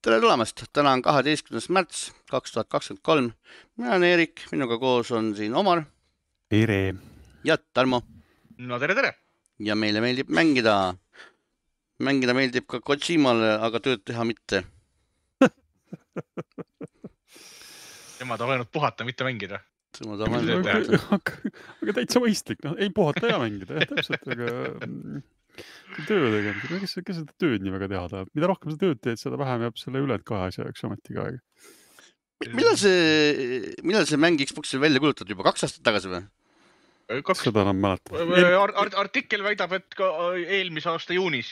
Tere tulemast! Täna on 12. märts 2023. Mina olen Eerik, minuga koos on siin Omar. Tere! Ja Tarmo. No tere! Ja meile meeldib mängida. Mängida meeldib ka Kojimale, aga tööd teha mitte. Tema tahab ainult puhata, mitte mängida. Aga täitsa mõistlik, ei puhata ja mängida, täpselt, aga töö tegemisega, kes seda tööd nii väga teha tahab? Mida rohkem sa tööd teed, seda vähem jääb selle üled kahe asja jaoks ametiga aega. Millal see mäng Xboxil välja kulutatud? Juba 2 aastat tagasi või? Seda enam mäletab. Artikkel väidab, et ka eelmise aasta juunis.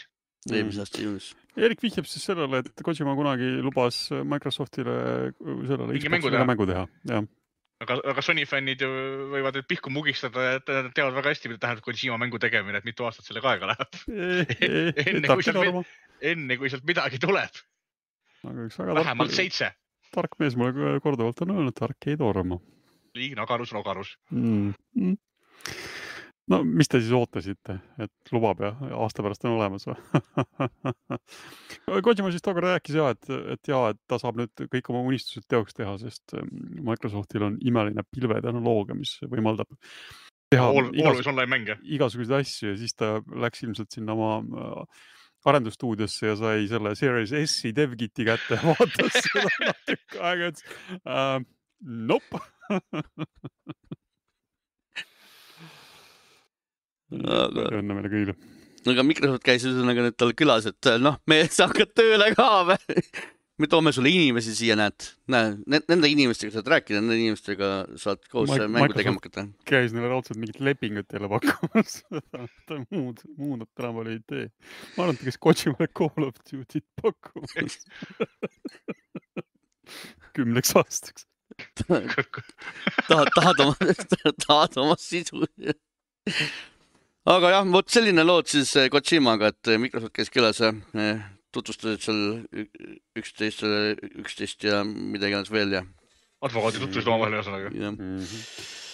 Erik vihjab siis sellele, et Kojima kunagi lubas Microsoftile sellele Xboxile mängu teha. Aga Sony fännid ju võivad pihku mugistada, et nad teavad väga hästi, mida tähendab Kojima mängu tegemine, et mitu aastat sellega aega läheb. Enne kui sealt midagi tuleb. Vähemalt 7. Tark mees mulle korduvalt on öelnud, tark ei torma. Liigna agarus. No, mis te siis ootasite, et lubab ja aasta pärast on olemas või? Kojima siis tookord rääkis et ta saab nüüd kõik oma unistused teoks teha, sest Microsoftil on imeline pilvetehnoloogia, mis võimaldab teha igasuguseid asju ja siis ta läks ilmselt sinna oma arendusstuudiosse ja sai selle Series S-i DevKiti kätte ja vaatas seda natuke aega, et nope. Õnne meile kõigile. Aga Microsoft käis üsõnaga nüüd tal külas, et me sa hakkad tööle ka või? Me toome sulle inimesi siia, nende inimestega saad rääkida, nende inimestega saad koos mängu tegema hakata. Käis neile raudselt mingit lepingut teile pakkumas. Muud nad tänapäeval ei tee. Ma arvan, et kes Kojimale Call of Duty't pakkumas. 10 aastaks. Tahad oma sisu. Aga jah, vot selline lood siis Kojimaga, et Microsoft käis külas ja tutvustasid seal 11 ja midagi ennast veel ja... Advokaadi tutvusid oma vahel ühesõnaga.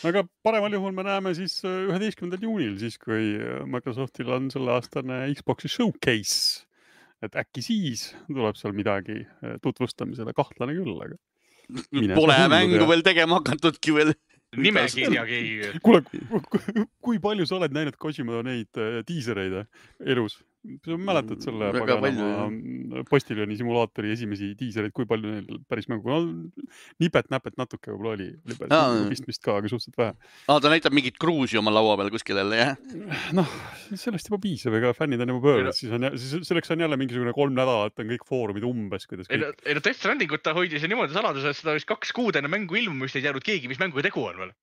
Aga paremal juhul me näeme siis 11. juunil, siis kui Microsoftil on selle aastane Xboxi showcase. Et äkki siis tuleb seal midagi tutvustamisele, kahtlane küll, aga... Pole mängu veel tegema hakatudki veel. Nimekirjagi. Kuule, kui palju sa oled näinud Kojima neid diisereid elus? Sa mäletad selle Postiljoni simulaatori esimesi diisereid, kui palju neil päris mängu? Nipet-näpet natuke võib-olla oli. Pistmist ka, aga suhteliselt vähe. Ta näitab mingit kruusi oma laua peal kuskil jälle, jah? Sellest juba piisab, ega fännid on juba pöörnud. Selleks on jälle mingisugune 3 nädalat, on kõik foorumid umbes, kuidas kõik... Death Strandingut ta hoidis ja niimoodi saladus, et seda vist 2 kuud enne mängu ilmumist ei teadnud keegi, mis mänguga tegu on veel.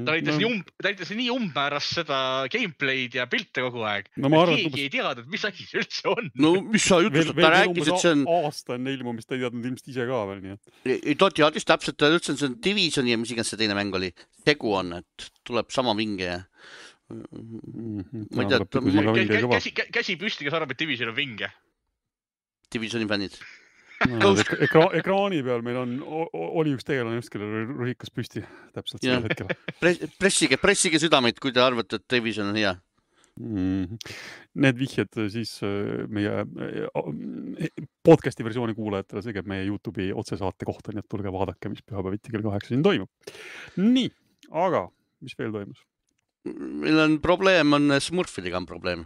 Ta näitas nii umbmäärast seda gameplay'd ja pilte kogu aeg. Keegi ei teadnud, mis asi see üldse on. No mis sa ütlesid, ta rääkis, et see on... Aasta enne ilmumist ta ei teadnud ilmselt ise ka veel, nii et... Ei, ta teadis täpselt, ta ütles, et see on Divisioni ja mis iganes see teine mäng oli. Tegu on, et tuleb sama vinge ja... Käsi püsti, kes arvab, et Division on vinge. Divisioni fännid. Ekraani peal meil oli üks tegelane just, kellel ruhikas püsti täpselt sellel hetkel. Pressige südameid, kui te arvate, et Division on hea. Need vihjed siis meie podcasti versiooni kuulajatele, see käib meie YouTube'i otsesaate kohta, nii et tulge vaadake, mis pühapäeviti kell 8 siin toimub. Nii, aga mis veel toimus? Meil on probleem, Smurfidega on probleem.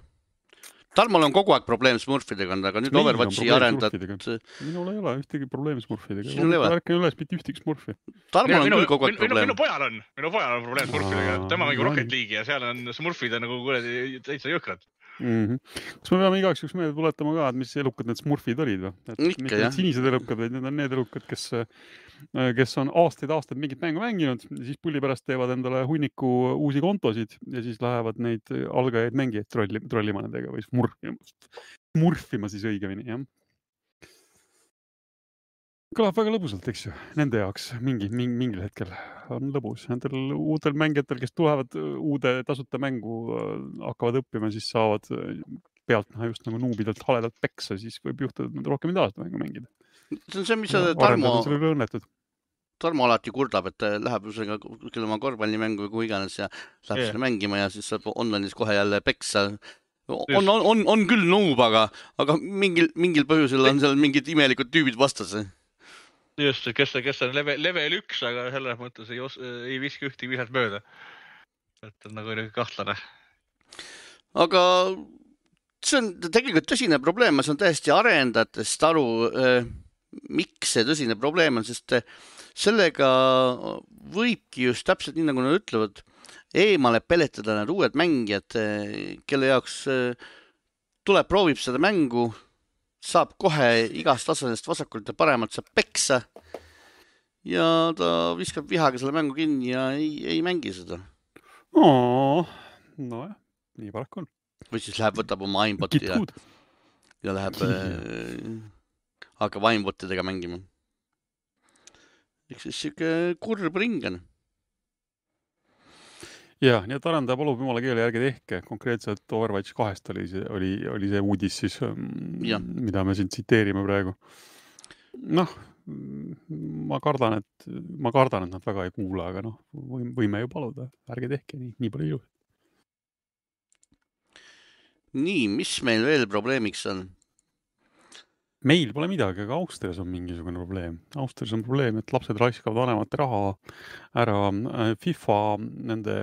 Tarmol on kogu aeg probleem Smurfidega, aga nüüd Overwatchi arendad... Minul ei ole ühtegi probleemi Smurfidega. Värken üles mitte ühtegi Smurfi. Tarmol on küll kogu aeg probleem. Minu pojal on probleem Smurfidega. Tema mängib Rocket League'i ja seal on Smurfid nagu täitsa jõhkrad. Kas me peame igaks üks meelde tuletama ka, et mis elukad need Smurfid olid või? Mitte need sinised elukad, vaid need on need elukad, kes on aastaid mingit mängu mänginud, siis pulli pärast teevad endale hunniku uusi kontosid ja siis lähevad neid algajaid mängijaid trollima nendega või smurfima siis õigemini, jah. Kõlab väga lõbusalt, eks ju, nende jaoks mingil hetkel on lõbus. Nendel uutel mängijatel, kes tulevad uude tasuta mängu, hakkavad õppima, siis saavad pealt just nagu nuubidelt haledalt peksa, siis võib juhtuda, et nad rohkem ei taha mängu mängida. See on see, mis Tarmo alati kurdab, et läheb küll oma korvpallimängu või kui iganes ja läheb selle mängima ja siis saab online'is kohe jälle peksa on küll noob, aga mingil põhjusel on seal mingid imelikud tüübid vastas. Just, kes on level 1, aga selles mõttes ei viski ühti visat mööda. Et on nagu kahtlane. Aga see on tegelikult tõsine probleem, ma saan täiesti arendajatest aru, miks see tõsine probleem on, sest sellega võibki just täpselt nii, nagu nad ütlevad, eemale peletada need uued mängijad, kelle jaoks tuleb, proovib seda mängu, saab kohe igast tasandist vasakult ja paremalt saab peksa ja ta viskab vihaga selle mängu kinni ja ei mängi seda. Nojah, nii paraku on. Või siis läheb, võtab oma aimboti ja läheb hakkab aimbotidega mängima. Eks siis siuke kurb ringan. Jah, nii et arendaja palub jumala keele järgi tehke. Konkreetselt Overwatch 2 oli see uudis siis, mida me siin tsiteerime praegu. Noh, ma kardan, et nad väga ei kuula, aga võime ju paluda. Ärge tehke nii palju ilu. Nii, mis meil veel probleemiks on? Meil pole midagi, aga Austrias on mingisugune probleem. Austrias on probleem, et lapsed raiskavad vanemate raha ära FIFA nende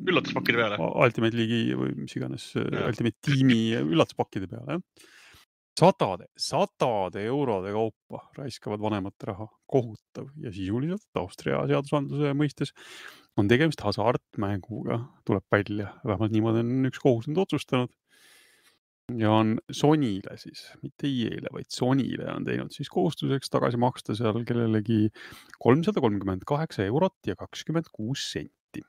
üllatuspakkide peale. Ultimate League'i või mis iganes Ultimate Team'i üllatuspakkide peale. Sadade eurode kaupa raiskavad vanemate raha. Kohutav ja sisuliselt Austria seadusandluse mõistes on tegemist hasartmänguga, tuleb välja. Vähemalt niimoodi on üks kohus nüüd otsustanud. Ja on Sonyle siis, mitte EA-le, vaid Sonyle on teinud siis kohustuseks tagasi maksta seal kellelegi 338 eurot ja 26 senti.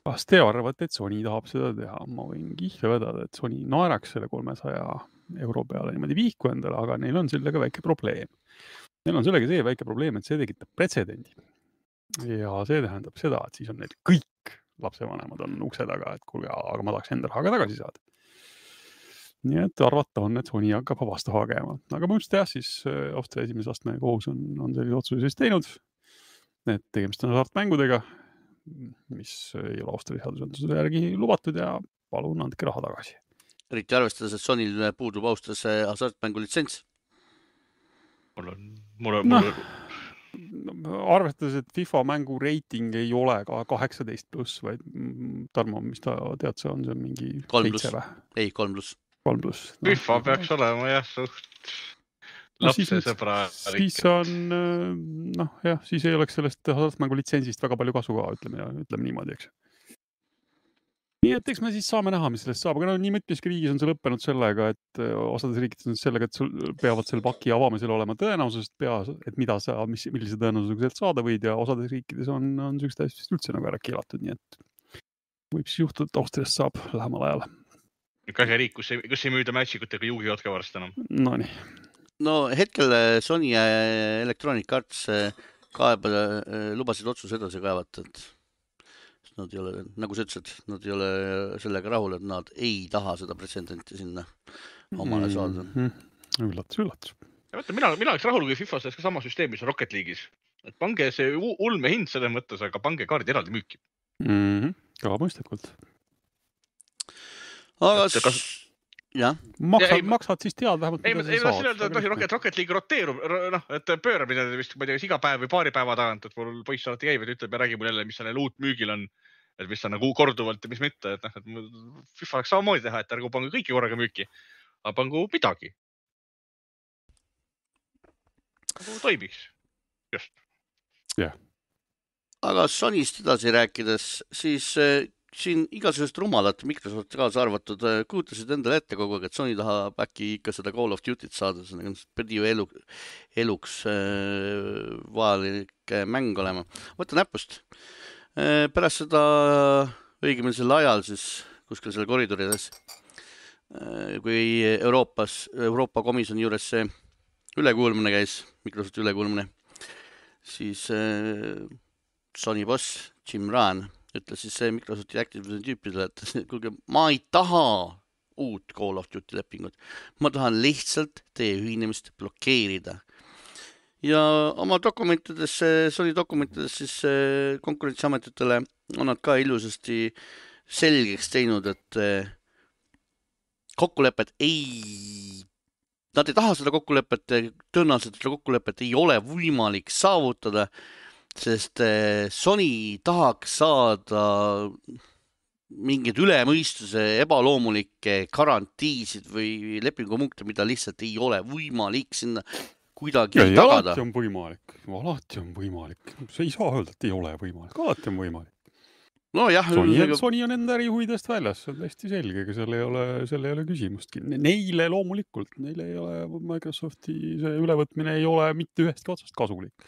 Kas te arvate, et Sony tahab seda teha? Ma võin kihla vedada, et Sony naeraks selle 300 euro peale niimoodi viiku endale, aga neil on sellega väike probleem. Neil on sellega see väike probleem, et see tekitab pretsedendi. Ja see tähendab seda, et siis on neil kõik lapsevanemad on ukse taga, et kuulge, aga ma tahaks enda rahaga tagasi saada. Nii et arvata on, et Sony hakkab vastu hagema. Aga mõjust jah, siis Austria esimese astme kohus on sellise otsuse siis teinud, et tegemist on hasartmängudega, mis ei ole Austria seadusandluse järgi lubatud ja palun andke raha tagasi. Eriti arvestades, et Sonyl puudub Austrias hasartmängu litsents. Arvestades, et FIFA mängu reiting ei ole ka 18+, vaid Tarmo, mis ta tead, see on mingi 7 või? Ei, 3+. 3+. FIFA peaks olema jah suht lapsesõbra. Siis on, siis ei oleks sellest hasartmängu litsentsist väga palju kasu ka, ütleme niimoodi, eks. Nii et eks me siis saame näha, mis sellest saab, aga nii mitmeski riigis on see lõppenud sellega, et osades riigides on sellega, et sul peavad selle paki avamisel olema tõenäosusest peas, et millise tõenäosusega sealt saada võid ja osades riikides on sellised täiesti üldse nagu ära keelatud, nii et võib siis juhtuda, et Austriast saab lähemal ajal. Kõige riik, kus ei müüda matchikutega juugivad ka varst enam? Nonii. No hetkel Sony ja Electronic Arts lubasid otsuse edasi kaevata, et nad ei ole, nagu sa ütlesid, nad ei ole sellega rahul, et nad ei taha seda pretsedenti sinna omale saada. Üllatus. Mina oleks rahul, kui FIFA selles ka sama süsteemis on Rocket League'is. Et pange see ulme hind selle mõttes, aga pange kaardid eraldi müüki. Ka mõistlikult. Aga jah. Maksad siis tead vähemalt, mida sa saad. Rocket League roteerub, et pööramine vist, ma ei tea, iga päev või paari päeva tagant, et mul poiss alati käib, et ütleb ja räägib mul jälle, mis seal uut müügil on, et mis on nagu korduvalt ja mis mitte, et FIFA oleks samamoodi teha, et ärgu pange kõiki korraga müüki, aga pangu midagi. Nagu toimiks. Just. Jah. Aga Sonyst edasi rääkides, siis siin igasugust rumalat Microsoft kaasa arvatud kuutasid endale ette kogu aeg, et Sony tahab äkki ikka seda Call of Duty't saada, see pidi ju eluks vajalik mäng olema. Võtta näpust. Pärast seda õigemini sel ajal siis kuskil selle koridorides, kui Euroopa komisjoni juures see ülekuulmine käis, Microsofti ülekuulmine, siis Sony boss Jim Ryan ütles siis Microsofti Activision tüüpidele, et kuulge, ma ei taha uut Call of Duty lepingut. Ma tahan lihtsalt teie ühinemist blokeerida. Ja oma dokumentides, Sony dokumentides siis konkurentsiametitele on nad ka ilusasti selgeks teinud, et kokkulepet nad ei taha seda kokkulepet, tõenäoliselt seda kokkulepet ei ole võimalik saavutada, sest Sony tahaks saada mingeid ülemõistuse ebaloomulikke garantiisid või lepingupunkte, mida lihtsalt ei ole võimalik sinna kuidagi tagada. Alati on võimalik. See ei saa öelda, et ei ole võimalik. Alati on võimalik. No jah, Sony on enda ärihuvidest väljas, see on täiesti selge, aga seal ei ole küsimustki. Neile loomulikult, neile ei ole Microsofti see ülevõtmine ei ole mitte ühestki otsast kasulik.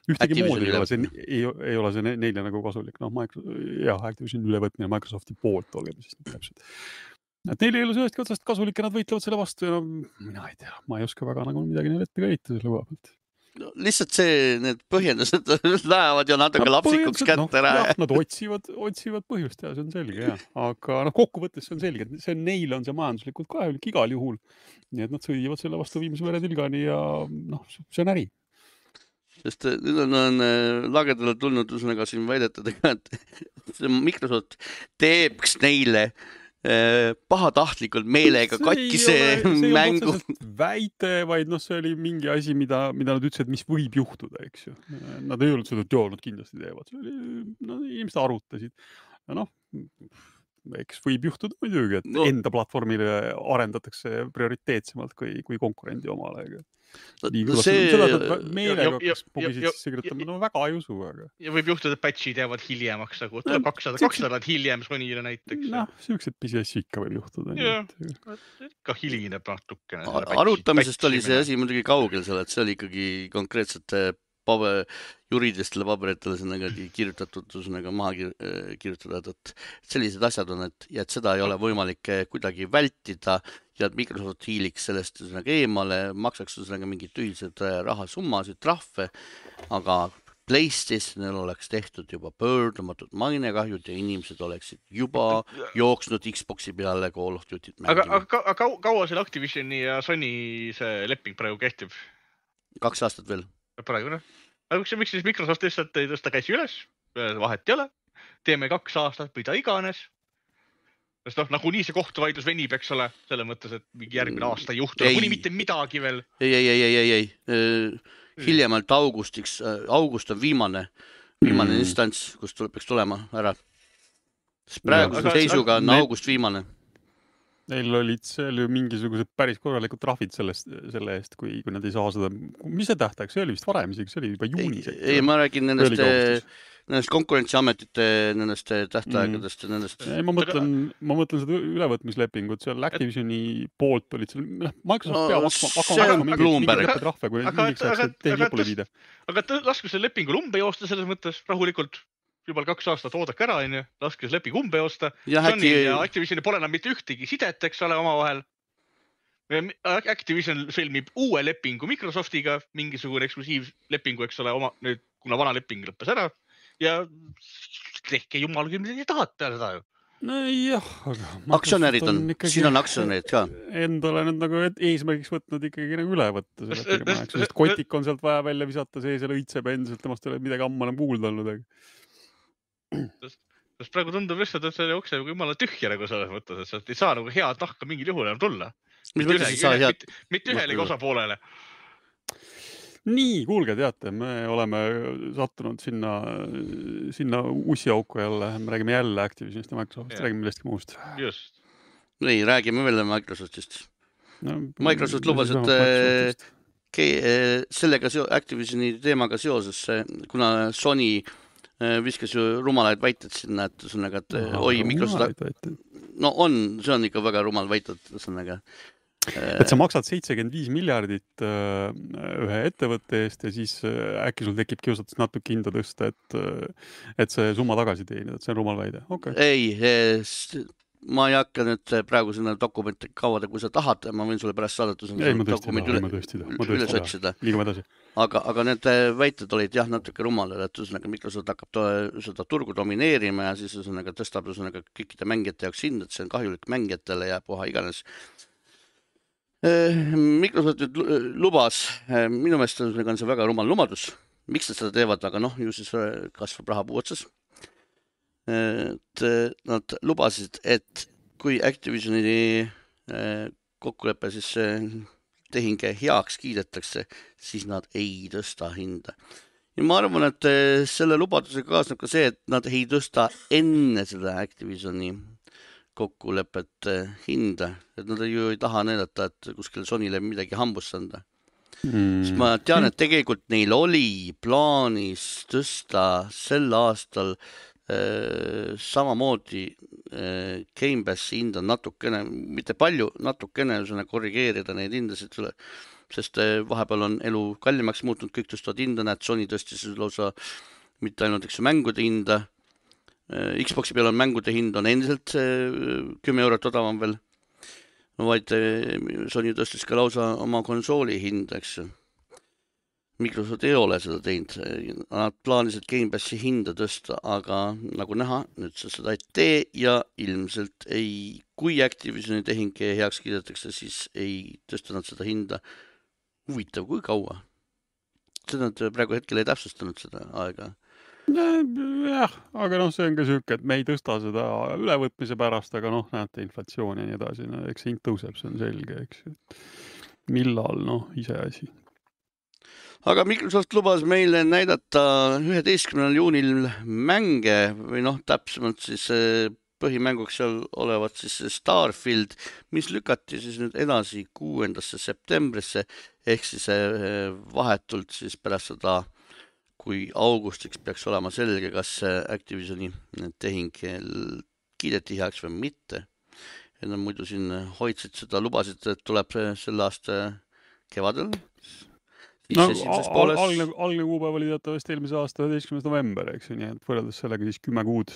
Ühtegi moodi ei ole see neile nagu kasulik. Activision ülevõtmine Microsofti poolt oleme siis täpselt. Et neil ei ole ühestki otsast kasulik ja nad võitlevad selle vastu ja mina ei tea, ma ei oska väga nagu midagi neile ette käita selle koha pealt. No, lihtsalt need põhjendused lähevad ju natuke lapsikuks kätte ära. Nad otsivad põhjust ja see on selge. Aga kokkuvõttes see on selge, et neile on see majanduslikult kahjulik igal juhul. Nii et nad sõidivad selle vastu viimse veretilgani ja see on äri. Sest nüüd on lagedale tulnud üsnaga siin väidetadega, et Microsoft teebks neile pahatahtlikult meelega katkise mängu. See ei ole väite, vaid see oli mingi asi, mida nad ütlesid, mis võib juhtuda, eks ju. Nad ei olnud seda, et nad kindlasti teevad. Inimesed arutasid. Ja eks võib juhtuda muidugi, et enda platvormile arendatakse prioriteetsemalt kui konkurendi omale. Seda, et meelega pugisid sisse kirjutama, väga ei usu. Ja võib juhtuda, et patchid jäävad hiljemaks, nagu tuleb 200 hiljem Sonyile näiteks. Siuksed pisiassi ikka võib juhtuda. Ka hiline natukene. Arutamisest oli see asi muidugi kaugel seal, et see oli ikkagi konkreetselt juriidilistele paberitele kirjutatud, maha kirjutatud, et sellised asjad on, et seda ei ole võimalik kuidagi vältida ja et Microsoft hiiliks sellest eemale, maksaks mingid tühised rahasummasid, trahve, aga PlayStationil oleks tehtud juba pöördumatud mainekahjud ja inimesed oleksid juba jooksnud Xboxi peale Call of Duty't mängima. Aga kaua seal Activisioni ja Sony see leping praegu kehtib? 2 aastat veel. Praegu, aga miks siis Microsoft lihtsalt ei tõsta käsi üles, vahet ei ole, teeme 2 aastat, mida iganes. Sest nagunii see kohtuvaidlus venib, eks ole, selle mõttes, et mingi järgmine aasta ei juhtu, kuni mitte midagi veel. Ei. Hiljemalt august on viimane instants, kus peaks tulema ära. Praeguse seisuga on august viimane. Neil olid seal ju mingisugused päris korralikud trahvid selle eest, kui nad ei saa seda. Mis see tähtaeg? See oli vist varem isegi, see oli juba juunis. Ei, ma räägin nendest konkurentsiametite nendest tähtaegadest. Ma mõtlen seda ülevõtmislepingut, seal Activisioni poolt olid seal, Microsoft peab hakkama mingi trahve, kui mingiks ajaks teil lõpule viide. Aga lasku selle lepingu lumbe joosta selles mõttes rahulikult. Juba 2 aastat oodake ära, laske see leping umbe joosta. Sony ja Activision pole enam mitte ühtegi sidet, eks ole, omavahel. Activision sõlmib uue lepingu Microsoftiga, mingisugune eksklusiivlepingu, eks ole, kuna vana leping lõppes ära. Ja tehke jumal küll, mida te tahate seda ju. Jah, aga aktsionärid on, siin on aktsionärid ka. Endale nüüd nagu eesmärgiks võtnud ikkagi nagu üle võtta. Sest kotik on sealt vaja välja visata, see õitseb endiselt, temast ei ole midagi ammu enam kuulda olnud. Sest praegu tundub lihtsalt, et see jookseb jumala tühja nagu selles mõttes, et sealt ei saa nagu head nahka mingil juhul enam tulla. Mitte ühelegi osapoolele. Nii, kuulge, teate, me oleme sattunud sinna ussiauku jälle, me räägime jälle Activisionist ja Microsoftist, räägime millestki muust. Just. Ei, räägime veel Microsoftist. Microsoft lubas, et sellega Activisioni teemaga seoses, kuna Sony viskas ju rumalaid väited sinna, et oi, Microsoft... see on ikka väga rumal väited. Et sa maksad 75 miljardit ühe ettevõtte eest ja siis äkki sul tekib kiusatus natuke hinda tõsta, et see summa tagasi teenida, et see on rumal väide. Okay. Ei, ma ei hakka nüüd praegu sinna dokumente kavada, kui sa tahad, ma võin sulle pärast saadata üles otsida. Liigume edasi. Aga need väited olid jah natuke rumalad, et Microsoft hakkab seda turgu domineerima ja siis tõstab kõikide mängijate jaoks hind, et see on kahjulik mängijatele ja puha iganes. Microsoft lubas, minu meelest on see väga rumal lumadus, miks nad seda teevad, aga ju siis kasvab rahapuu otsas. et nad lubasid, et kui Activisioni kokkulepe siis tehing heaks kiidetakse, siis nad ei tõsta hinda. Ja ma arvan, et selle lubadusega kaasneb ka see, et nad ei tõsta enne seda Activisioni kokkulepet hinda, et nad ju ei taha näidata, et kuskil Sonyle midagi hambusse anda. Sest ma tean, et tegelikult neil oli plaanis tõsta sel aastal samamoodi Game Passi hinda natukene, mitte palju, natukene korrigeerida neid hindasid, sest vahepeal on elu kallimaks muutunud, kõik tõstavad hinda, näed, Sony tõstis lausa mitte ainult mängude hinda, Xboxi peal on mängude hind on endiselt 10 eurot odavam veel, vaid Sony tõstis ka lausa oma konsooli hinda, eks ju. Microsoft ei ole seda teinud, nad plaanisid Game Passi hinda tõsta, aga nagu näha, nüüd seda ei tee ja ilmselt ei, kui Activisioni tehing heaks kiidetakse, siis ei tõsta nad seda hinda. Huvitav, kui kaua? Seda nad praegu hetkel ei täpsustanud seda aega. Jah, aga see on ka süük, et me ei tõsta seda ülevõtmise pärast, aga näete inflatsioon ja nii edasi, eks hind tõuseb, see on selge, eks. Millal, ise asi. Aga Microsoft lubas meile näidata 11. juunil mänge või täpsemalt siis põhimänguks seal olevat siis Starfield, mis lükati siis nüüd edasi 6. septembrisse ehk siis vahetult siis pärast seda, kui augustiks peaks olema selge, kas Activisioni tehing kiideti heaks või mitte. Ja nad muidu siin hoidsid seda, lubasid, et tuleb selle aasta kevadel. Algne kuupäev oli teatavasti eelmise aasta 11. november, eks ju, nii et võrreldes sellega siis 10 kuud.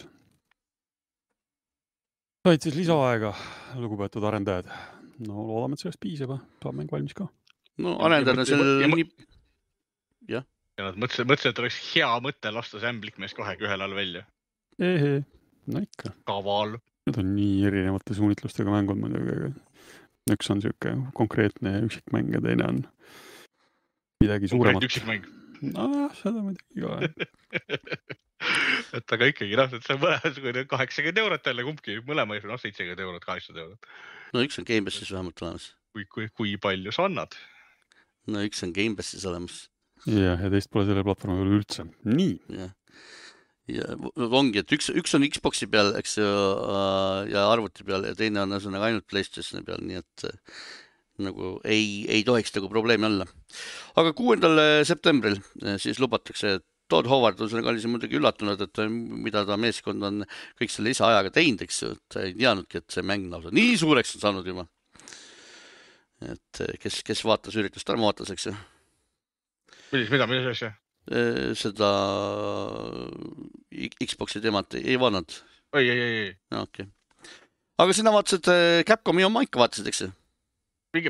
Said siis lisaaega, lugupeetud arendajad. Loodame, et sellest piisab, saab mäng valmis ka. Arendajad on seal ja nad mõtlesid, et oleks hea mõte lasta see ämblikmees kohegi ühel all välja. Ikka. Kaval. Need on nii erinevate suunitlustega mängud muidugi. Üks on siuke konkreetne üksikmäng ja teine on midagi suuremat. Üksikmäng. Seda muidugi ka. Et aga ikkagi, et see on mõlemad 80 eurot jälle kumbki, mõlema 70 eurot, 80 eurot. Üks on Game Passis vähemalt olemas. Kui palju sa annad? Üks on Game Passis olemas. Ja teist pole selle platvormi veel üldse. Nii. Ja ongi, et üks on Xboxi peal, eks ju, ja arvuti peal ja teine on ainult PlayStationi peal, nii et nagu ei tohiks nagu probleemi olla. Aga 6. septembril siis lubatakse, et Todd Howard on sellega oli muidugi üllatunud, et mida ta meeskond on kõik selle lisaajaga teinud, eks ju, et ei teadnudki, et see mäng lausa nii suureks on saanud juba. Et kes vaatas üritust, arma vaatas, eks ju. Mida asja? Seda Xboxi teemat ei vaadanud. Ei. Okay. Aga sina vaatasid Capcomi oma ikka vaatasid, eks ju?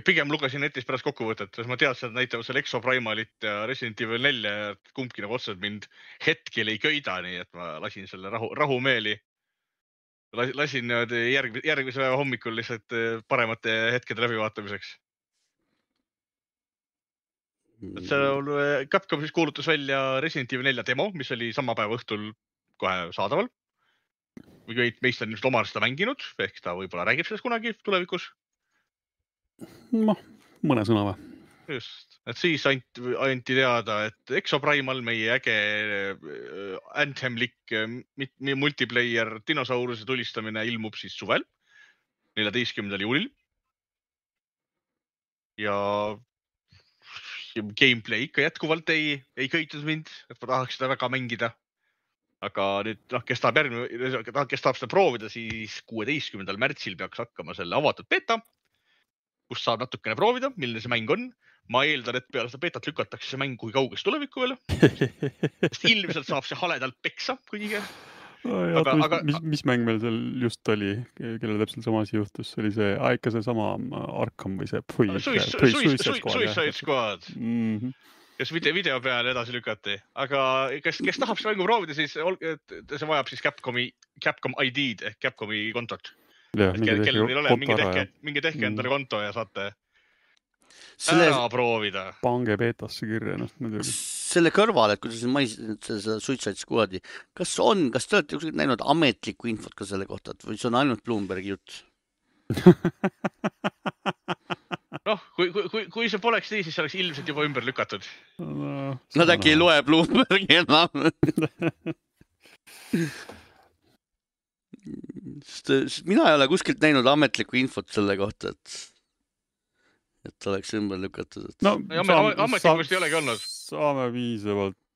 Pigem lugesin netis pärast kokkuvõtet, sest ma teadsin, et näitavad seal Exoprimalit ja Resident Evil 4 ja kumbki nagu otseselt mind hetkel ei köida, nii et ma lasin selle rahumeeli. Lasin järgmise päeva hommikul lihtsalt paremate hetkede läbivaatamiseks. Capcom siis kuulutas välja Resident Evil 4 demo, mis oli sama päeva õhtul kohe saadaval. Meist on just omal seda mänginud, ehk ta võib-olla räägib sellest kunagi tulevikus. Mõne sõna või? Just, et siis anti teada, et Exoprimal, meie äge Anthem-lik multiplayer dinosauruse tulistamine ilmub siis suvel, 14. juulil. Ja gameplay ikka jätkuvalt ei köitud mind, et ma tahaks seda väga mängida. Aga nüüd, kes tahab seda proovida, siis 16. märtsil peaks hakkama selle avatud beta, kus saab natukene proovida, milline see mäng on. Ma eeldan, et peale seda betat lükatakse see mäng kui kauges tulevikku veel. Sest ilmselt saab see haledalt peksa kõige. Mis mäng meil seal just oli, kellel täpselt sama asi juhtus? See oli see ikka see sama Arkham või see Suicide Squad. Kes video peale edasi lükati. Aga kes tahab see mängu proovida, siis see vajab siis Capcom ID-d ehk Capcomi kontot. Kellel ei ole, mingi tehke endale konto ja saate ära proovida. Pange beetasse kirja ennast muidugi. selle kõrval, et kuidas seda Suicide Squadi, kas te olete näinud ametlikku infot ka selle kohta, või see on ainult Bloombergi jutt? Noh, kui see poleks nii, siis see oleks ilmselt juba ümber lükatud. Nad äkki ei loe Bloombergi enam. Sest mina ei ole kuskilt näinud ametlikku infot selle kohta, et oleks ümber lükatud. No, ametlikust ei olegi olnud. Saame viisavalt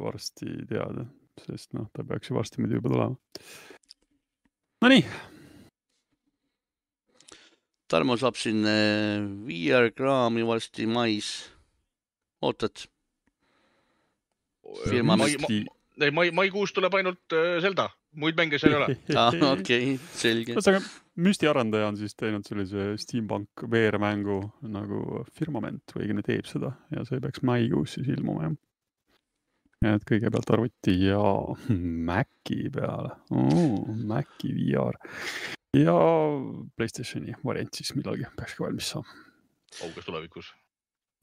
varsti teada, sest ta peaks ju varsti muidu juba tulema. No nii. Tarmo saab siin VR-kraami varsti mais. Ootad? Maikuus tuleb ainult Zelda. Muid mänge seal ei ole. Okei, selge. Müstiarendaja on siis teinud sellise Steampunk VR-mängu nagu Firmament või õigemini teeb seda ja see peaks maikuus siis ilmuma. Et kõigepealt arvuti ja Maci peale. Maci VR. Ja PlayStationi variant siis millalgi peaks ka valmis saama. Kauges tulevikus.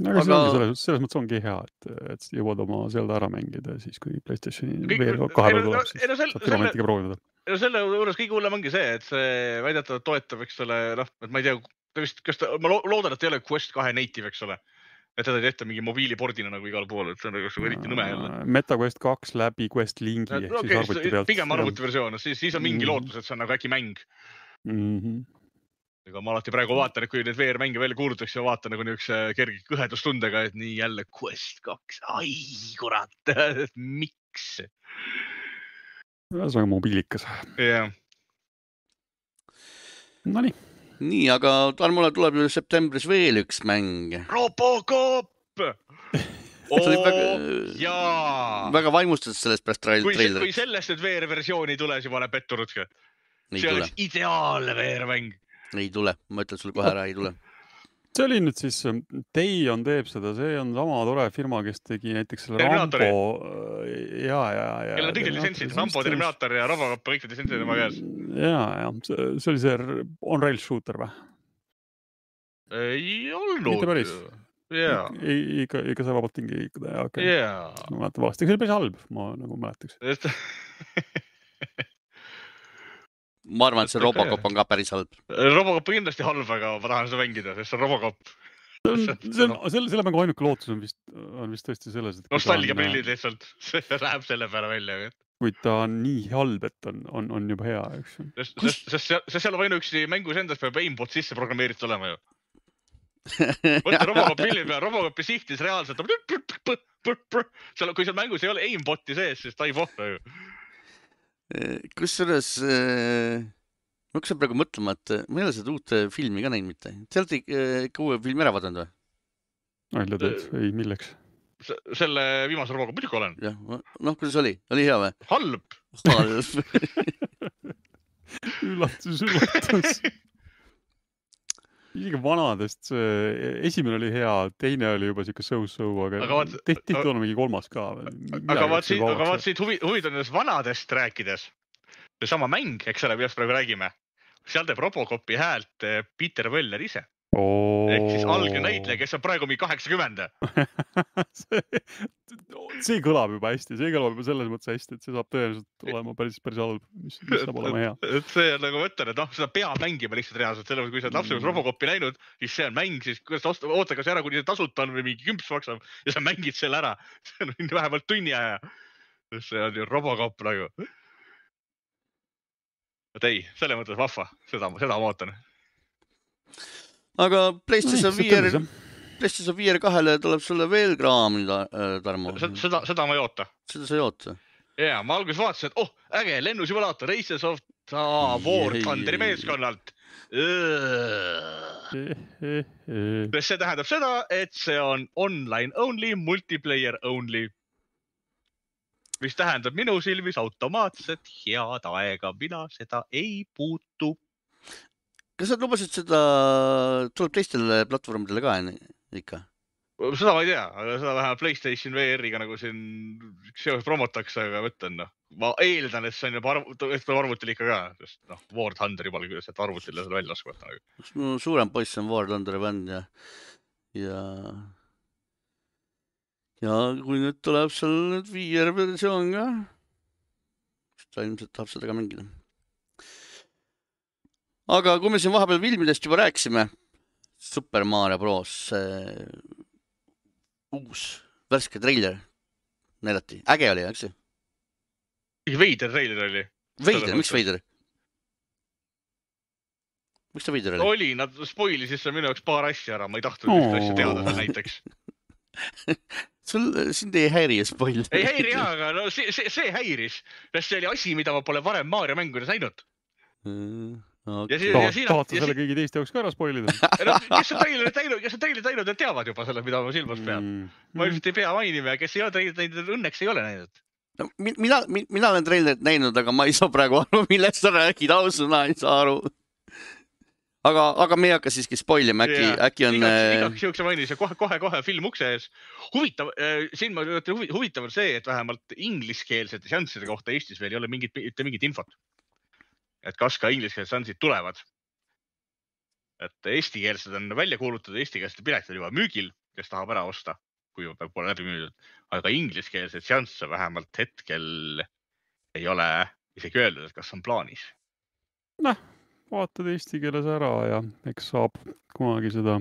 Aga selles mõttes ongi hea, et jõuad oma Zelda ära mängida siis, kui PlayStationi VR kahe tuleb, siis saab Firmamentiga proovida. Selle juures kõige hullem ongi see, et see väidetavalt toetab, eks ole, et ma ei tea, ma loodan, et ei ole Quest 2 native, eks ole. Et teda ei tehta mingi mobiilipordina nagu igal pool, et see on eriti nõme jälle. MetaQuest 2 läbi Quest Linki ehk siis arvuti pealt. Pigem arvutiversioon, siis on mingi lootus, et see on nagu äkki mäng. Ega ma alati praegu vaatan, et kui need VR-mänge välja kuulutakse ja vaatan nagu niisuguse kerge kõhedustundega, et nii jälle Quest 2. Ai, kurat, miks? See on mobiilikas. Jah. No nii. Nii, aga Tarmole tuleb ju septembris veel üks mäng. Robocop! Väga vaimustatud sellest pärast trailerit. Kui sellest nüüd VR-versiooni ei tule, siis ma olen pettunud. See oleks ideaalne VR-mäng. Ei tule, ma ütlen sulle kohe ära, ei tule. See oli nüüd siis, Teion teeb seda, see on sama tore firma, kes tegi näiteks selle Rambo. Kellel on kõik lisentsid, Rambo, Terminator ja Robocop, kõik lisentsid tema käes. Ja, see oli see on-rail shooter või? Ei olnud. Mitte päris. Ikka see vabalt tingi liikuda. Ma mäletan valesti, see oli päris halb, ma nagu mäletaks. Ma arvan, et see Robocop on ka päris halb. Robocop on kindlasti halb, aga ma tahan seda mängida, sest see on Robocop. Selle mängu ainuke lootus on vist tõesti selles, et nostalgia prillid lihtsalt, see läheb selle peale välja. Kui ta on nii halb, et on juba hea, eks. Sest seal on ainuüksi mängus endas peab aimbot sisse programmeeritud olema ju. Võtta Robocop pilli peal, Robocopi sihtis reaalselt kui seal mängus ei ole aimboti sees, siis ta ei pohta ju. Kusjuures ma hakkasin praegu mõtlema, et ma ei ole seda uut filmi ka näinud mitte. Te olete ikka uue filmi ära vaadanud või? Välja teed, ei milleks? Selle viimase Robocop muidugi olen. Kuidas oli? Oli hea või? Halb. Üllatus. Isegi vanadest esimene oli hea, teine oli juba siuke so-so, aga tehti on mingi kolmas ka. Aga vaat siit huvitavast vanadest rääkides, see sama mäng, eks ole, millest praegu räägime, seal teeb Robocopi häält Peter Weller ise. Ehk siis algne näitleja, kes on praegu mingi 80. See kõlab juba hästi, see kõlab juba selles mõttes hästi, et see saab tõenäoliselt olema päris halb, mis saab olema hea. See on nagu mõtlen, et seda peab mängima lihtsalt reaalselt, selle kui sa oled lapsega Robocopi näinud, siis see on mäng, siis oota kas ära, kuni see tasuta on või mingi kümps maksab ja sa mängid selle ära. See on vähemalt tunni aja. See on ju Robocop nagu. Et ei, selle mõttes vahva, seda ma ootan. Aga PlayStation VR 2-le tuleb sulle veel kraami, Tarmo. Seda ma ei oota. Seda sa ei oota? Jaa, ma alguses vaatasin, et äge, lennusimulaator, Races of War Thunderi meeskonnalt. See tähendab seda, et see on online only, multiplayer only. Mis tähendab minu silmis automaatset head aega, mina seda ei puutu. Kas sa lubasid seda, tuleb teistele platvormidele ka ikka? Seda ma ei tea, aga seda vähemalt PlayStation VR-iga nagu siin seos promotakse, aga võtlen, ma eeldan, et see on juba arvutil ikka ka, sest War Thunder juba oli, et arvutile seda välja laskuvata. Suurem poiss on War Thunderi bänd ja ja kui nüüd tuleb seal nüüd VR versioon ka, siis ta ilmselt tahab seda ka mängida. Aga kui me siin vahepeal filmidest juba rääkisime, Super Mario Bros. Uus värske treiler näidati. Äge oli, eks? Veider treiler oli. Veider, miks veider? Miks ta veider oli? Oli, nad spoilisid seal minu jaoks paar asja ära, ma ei tahtnud üht asja teada näiteks. Sind ei häiri spoil? Ei häiri jah, aga no see häiris. See oli asi, mida ma pole varem Mario mängudes näinud. Tahate selle kõigi teiste jaoks ka ära spoilida? Kes on treilerit näinud, need teavad juba selle, mida ma silmas pean. Ma ilmselt ei pea mainima ja kes ei ole treilerit näinud, õnneks ei ole näinud. No, mina olen treilerit näinud, aga ma ei saa praegu aru, millest sa räägid, ausõna ei saa aru. Aga me ei hakka siiski spoilima, äkki on... Igaks juhuks mainis ja kohe film ukse ees. Huvitav on see, et vähemalt ingliskeelsete šansside kohta Eestis veel ei ole mingit infot. Et kas ka ingliskeelsed šansid tulevad. Et eestikeelsed on välja kuulutatud, eestikeelsed piletid on juba müügil, kes tahab ära osta, kui pole läbi müüdud. Aga ingliskeelsed šansse vähemalt hetkel ei ole isegi öeldud, et kas on plaanis. Vaatad eesti keeles ära ja eks saab kunagi seda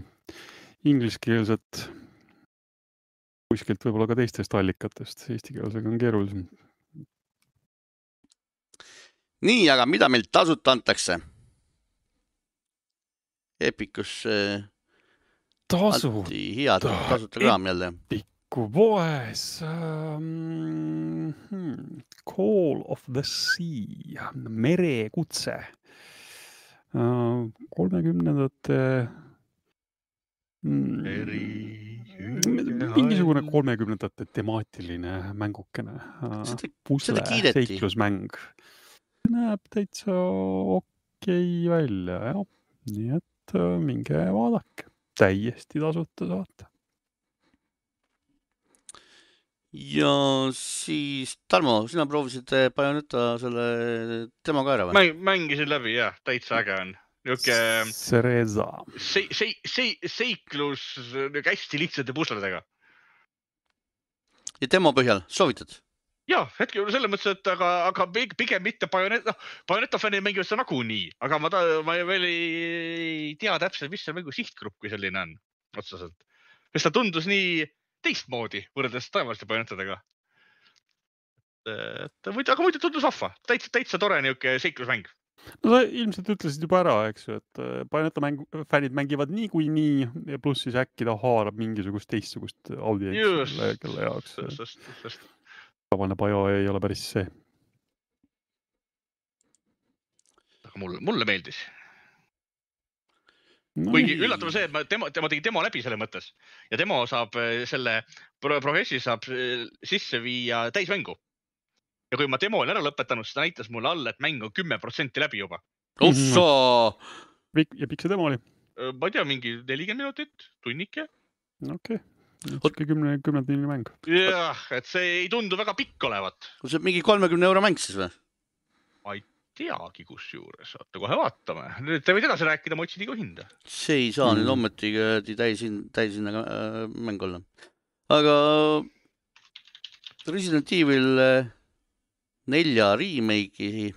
ingliskeelset kuskilt võib-olla ka teistest allikatest. Eesti keelsega on keerulisem. Nii, aga mida meil tasuta antakse? Epicus anti head tasuta kraam jälle. Epicu poes Call of the Sea, merekutse. 30-ndate mingisugune 30-ndate temaatiline mängukene. Pusle, seiklusmäng. Näeb täitsa okei välja, jah. Nii et minge vaadake. Täiesti tasuta saate. Ja siis, Tarmo, sina proovisid Bayonetta selle demo ka ära või? Mängisin läbi, jah. Täitsa äge on. Cereza. Seiklus hästi lihtsate pusledega. Ja demo põhjal, soovitad? Jah, hetkel selles mõttes, et aga pigem mitte Bayonetta fännid mängivad seda nagunii, aga ma veel ei tea täpselt, mis see mängu sihtgrupp kui selline on otseselt. Sest ta tundus nii teistmoodi võrreldes taevaliste Bayonettadega. Aga muidu tundus vahva. Täitsa tore niuke seiklusmäng. No sa ilmselt ütlesid juba ära, eks ju, et Bayonetta fännid mängivad nii, ja pluss siis äkki ta haarab mingisugust teistsugust audientsi, kelle jaoks. Just. Tavaline Bayo ei ole päris see. Aga mulle meeldis. Kuigi üllatav see, et tema tegi demo läbi selle mõttes. Ja demo saab selle progressi saab sisse viia täismängu. Ja kui ma demo olen ära lõpetanud, siis ta näitas mulle alla, et mäng on 10% läbi juba. Ossa! Ja pikk see demo oli? Ma ei tea, mingi 40 minutit, tunnike. Okei. 10 mäng. Jah, et see ei tundu väga pikk olevat. See mingi 30 € mäng siis või? Ma ei teagi kus juures. Oota, kohe vaatame. Nüüd te võid edasi rääkida, ma otsin iga hinda. See ei saa nüüd ommetiga täisinna mäng olla. Aga Resident Evil 4 remake'i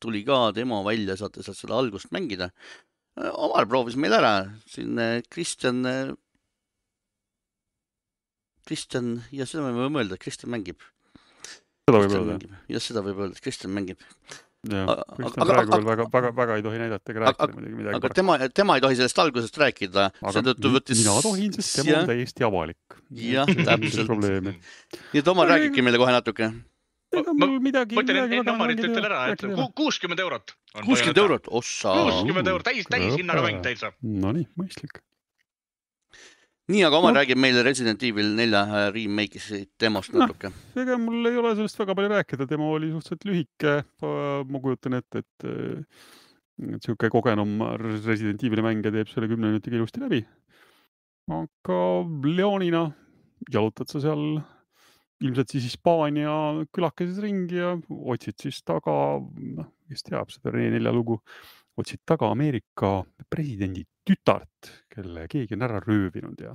tuli ka demo välja, saate sealt seda algust mängida. Omar proovis meil ära. Siin Kristjan, ja seda me võime öelda, et Kristjan mängib. Seda võib öelda. Ja seda võib öelda, et Kristjan mängib. Kristjan praegu veel väga ei tohi näidata ega rääkida midagi. Aga tema ei tohi sellest algusest rääkida. Mina tohin, sest tema on täiesti avalik. Jah, täpselt. Nii et Omar räägibki meile kohe natuke. Ega mul midagi... Ma ütlen enne Omarit ütel ära, et 60 €. 60 €? Ossa! 60 €, täis hinnaga mäng täitsa. No nii, mõistlik. Nii, aga Omar räägib meile Resident Evil 4 remake'is demost natuke. Ega mul ei ole sellest väga palju rääkida. Demo oli suhteliselt lühike. Ma kujutan ette, et siuke kogenum Resident Evil mängija teeb selle 10 minutiga ilusti läbi. Aga Leonina jalutad sa seal ilmselt siis Hispaania külakeses ringi ja otsid siis taga, kes teab seda Rene 4 lugu, otsid taga Ameerika presidendi tütart, kelle keegi on ära röövinud ja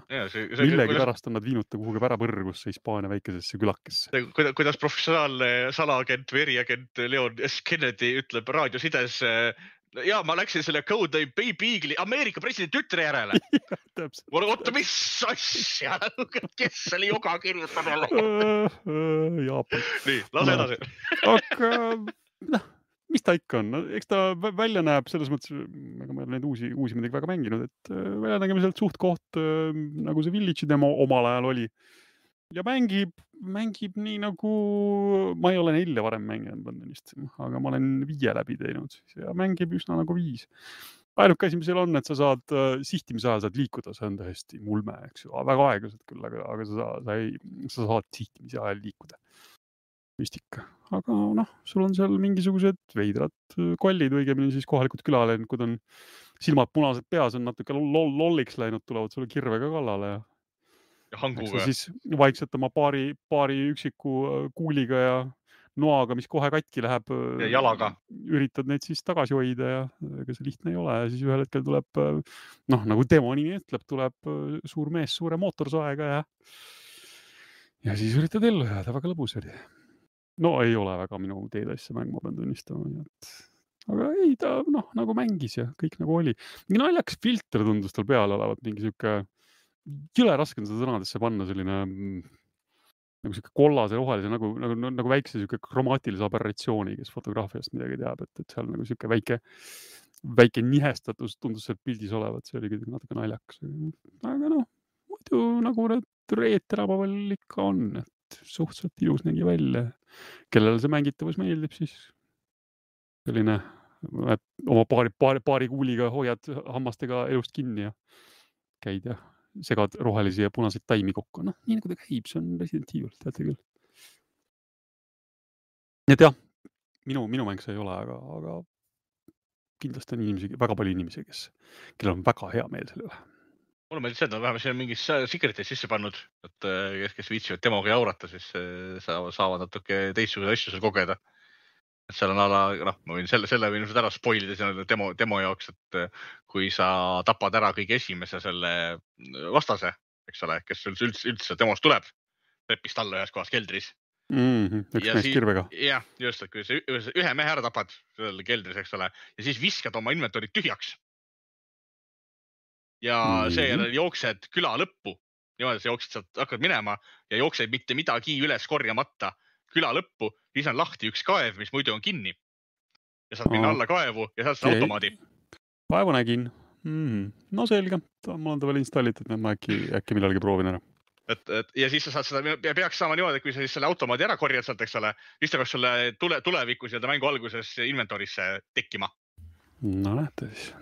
millegi pärast on nad viinud ta kuhugi pärapõrgusse Hispaania väikesesse külakesse. Kuidas professionaalne salaagent või eriagent Leon S. Kennedy ütleb raadiosides, ja ma läksin selle Code Baby Eagle'i Ameerika presidendi tütre järele. Oota, mis asja? Kes oli joga kirjutanud? Jaapan. Nii, lase edasi. Aga mis ta ikka on? Eks ta välja näeb selles mõttes, ega ma ei ole neid uusi midagi väga mänginud, et välja nägemiselt suht koht, nagu see Village'i demo omal ajal oli. Ja mängib nii nagu, ma ei ole 4 varem mänginud, aga ma olen 5 läbi teinud ja mängib üsna nagu 5. Ainuke asi, mis seal on, et sa saad sihtimise ajal saad liikuda, see on tõesti mulme, eks ju, väga aeglaselt küll, aga sa saad sihtimise ajal liikuda. Müstika. Aga sul on seal mingisugused veidrad kollid, õigemini siis kohalikud külalenikud on silmad punased peas, on natuke lolliks läinud, tulevad sulle kirvega kallale ja hanguga. Siis vaikselt oma paari üksiku kuuliga ja noaga, mis kohe katki läheb. Ja jalaga. Üritad neid siis tagasi hoida ja ega see lihtne ei ole ja siis ühel hetkel tuleb, nagu demo nimi ütleb, tuleb suur mees suure mootorsaega ja siis üritad ellu jääda, väga lõbus oli. No ei ole väga minu teedaisse mäng, ma pean tunnistama. Aga ei, ta nagu mängis ja kõik nagu oli. Mingi naljakas filter tundus tal peal olevat, mingi siuke, jõle raske on seda sõnadesse panna, selline nagu siuke kollase rohelise, nagu väikse siuke kromaatilise aberratsiooni, kes fotograafiast midagi teab, et seal nagu siuke väike nihestatus tundus seal pildis olevat, see oli natuke naljakas. Aga muidu nagu need reeterabavall ikka on, et suhteliselt ilus nägi välja. Kellele see mängitavus meeldib, siis selline, et oma paari kuuliga hoiad hammastega elust kinni ja käid ja segad rohelisi ja punaseid taimi kokku. Nii nagu ta käib, see on Resident Evil, teate küll. Et jah, minu mäng see ei ole, aga kindlasti on väga palju inimesi, kellel on väga hea meel selle üle. Mulle meeldib seda, vähemalt siin on mingis secret'is sisse pannud, et kes viitsivad demoga jaurata, siis saavad natuke teistsuguse asju seal kogeda. Et seal on ma võin selle võin ära spoilida selle demo jaoks, et kui sa tapad ära kõige esimese selle vastase, eks ole, kes üldse demost tuleb, repist alla ühes kohas keldris. Üks mees kirvega. Jah, just, et kui sa ühe mehe ära tapad selle keldris, eks ole, ja siis viskad oma inventorid tühjaks. Ja seejärel jooksed küla lõppu, niimoodi sa jooksid sealt, hakkad minema ja jooksed mitte midagi üles korjamata küla lõppu, siis on lahti üks kaev, mis muidu on kinni. Ja saad minna alla kaevu ja saad seda automaadi. Kaevu nägin. No selge, mul on ta veel installitud, ma äkki millalgi proovin ära. Ja siis sa saad seda, peaks saama niimoodi, et kui sa siis selle automaadi ära korjad sealt, eks ole, siis ta peaks sulle tulevikus ja mängu alguses inventorisse tekkima. No näete siis.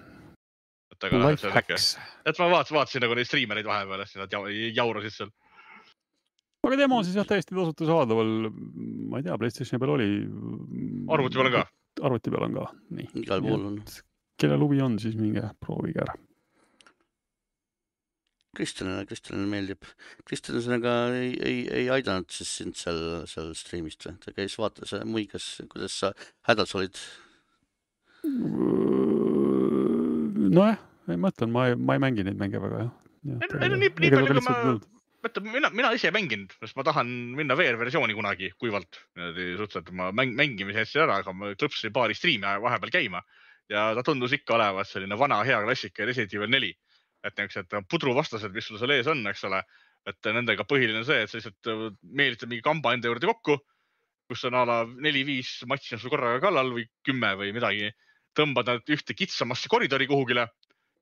Life hacks. Et ma vaatasin nagu neid streamereid vahepeal, et nad jaurasid seal. Aga demo siis jah täiesti tasuta saadaval, ma ei tea, PlayStationi peal oli. Arvuti peal on ka. Arvuti peal on ka, nii. Igal pool on. Kelle lubi on, siis minge proovige ära. Kristjanile meeldib. Kristjanega ei aidanud siis sind seal streamist või? Ta käis vaatas muigas, kuidas sa hädas olid? Nojah, ei mõtlen, ma ei mängi neid mänge väga, jah. Mina ise mängin, sest ma tahan minna VR-versiooni kunagi kuivalt. Suhteliselt ma mängimise hästi ära, aga ma klõpsin paari striimi vahepeal käima ja ta tundus ikka olevat selline vana hea klassika Resident Evil 4. Et need pudruvastased, mis sul seal ees on, eks ole, et nendega põhiline see, et sa lihtsalt meelitad mingi kamba enda juurde kokku, kus on 4-5 matši on sul korraga kallal või 10 või midagi. Tõmbad nad ühte kitsamasse koridori kuhugile